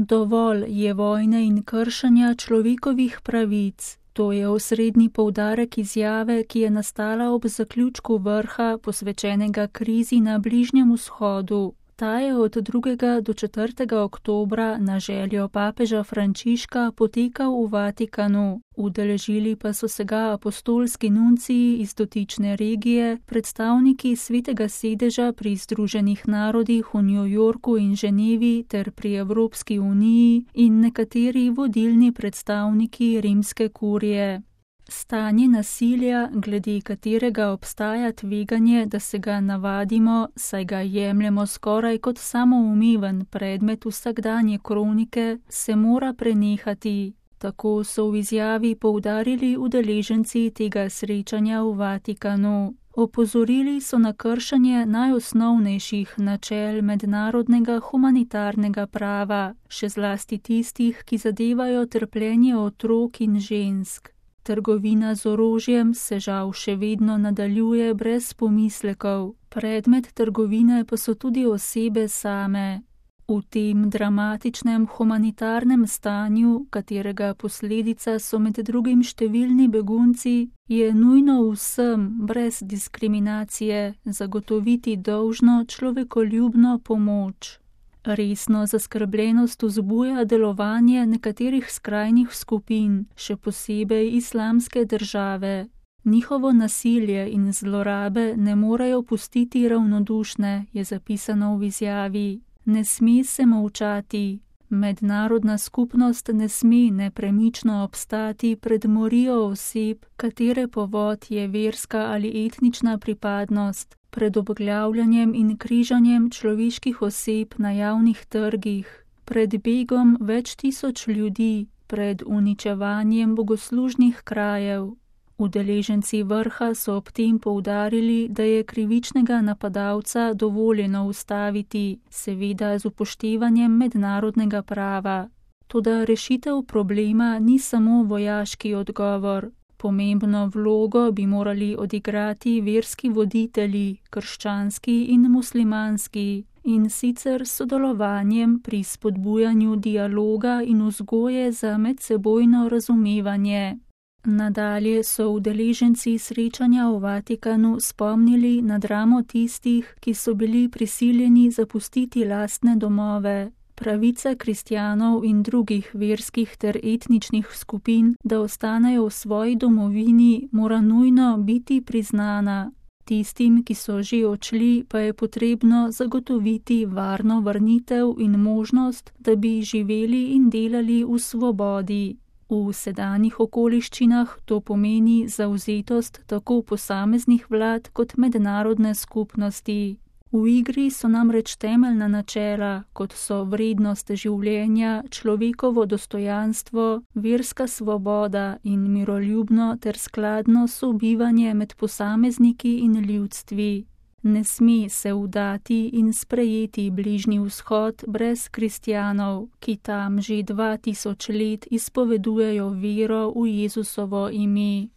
Dovolj je vojne in kršenja človekovih pravic. To je osrednji poudarek izjave, ki je nastala ob zaključku vrha, posvečenega krizi na Bližnjem vzhodu. Ta je od 2. do 4. oktobra na željo papeža Frančiška potekal v Vatikanu. Udeležili pa so se ga apostolski nunciji iz dotične regije, predstavniki Svetega sedeža pri Združenih narodih v New Yorku in Ženevi ter pri Evropski uniji in nekateri vodilni predstavniki rimske kurije. Stanje nasilja, glede katerega obstaja tveganje, da se ga navadimo, saj ga jemljemo skoraj kot samoumeven predmet vsakdanje kronike, se mora prenehati. Tako so v izjavi poudarili udeleženci tega srečanja v Vatikanu. Opozorili so na kršenje najosnovnejših načel mednarodnega humanitarnega prava, še zlasti tistih, ki zadevajo trpljenje otrok in žensk. Trgovina z orožjem se žal še vedno nadaljuje brez pomislekov. Predmet trgovine pa so tudi osebe same. V tem dramatičnem humanitarnem stanju, katerega posledica so med drugim številni begunci, je nujno vsem, brez diskriminacije, zagotoviti dolžno človekoljubno pomoč. Resno zaskrbljenost vzbuja delovanje nekaterih skrajnih skupin, še posebej Islamske države. Njihovo nasilje in zlorabe ne morejo pustiti ravnodušne, je zapisano v izjavi. Ne sme se molčati. Mednarodna skupnost ne sme nepremično obstati pred morijo oseb, katere povod je verska ali etnična pripadnost, pred obglavljanjem in križanjem človeških oseb na javnih trgih, pred begom več tisoč ljudi, pred uničevanjem bogoslužnih krajev. Udeleženci vrha so ob tem poudarili, da je krivičnega napadalca dovoljeno ustaviti, seveda z upoštevanjem mednarodnega prava. Toda rešitev problema ni samo vojaški odgovor. Pomembno vlogo bi morali odigrati verski voditelji, krščanski in muslimanski, in sicer sodelovanjem pri spodbujanju dialoga in vzgoje za medsebojno razumevanje. Nadalje so udeleženci srečanja v Vatikanu spomnili na dramo tistih, ki so bili prisiljeni zapustiti lastne domove. Pravica kristjanov in drugih verskih ter etničnih skupin, da ostanejo v svoji domovini, mora nujno biti priznana. Tistim, ki so že odšli, pa je potrebno zagotoviti varno vrnitev in možnost, da bi živeli in delali v svobodi. V sedanjih okoliščinah to pomeni zavzetost tako posameznih vlad kot mednarodne skupnosti. V igri so namreč temeljna načela, kot so vrednost življenja, človekovo dostojanstvo, verska svoboda in miroljubno ter skladno sobivanje med posamezniki in ljudstvi. Ne sme se vdati in sprejeti Bližnji vzhod brez kristjanov, ki tam že 2000 let izpovedujejo vero v Jezusovo ime.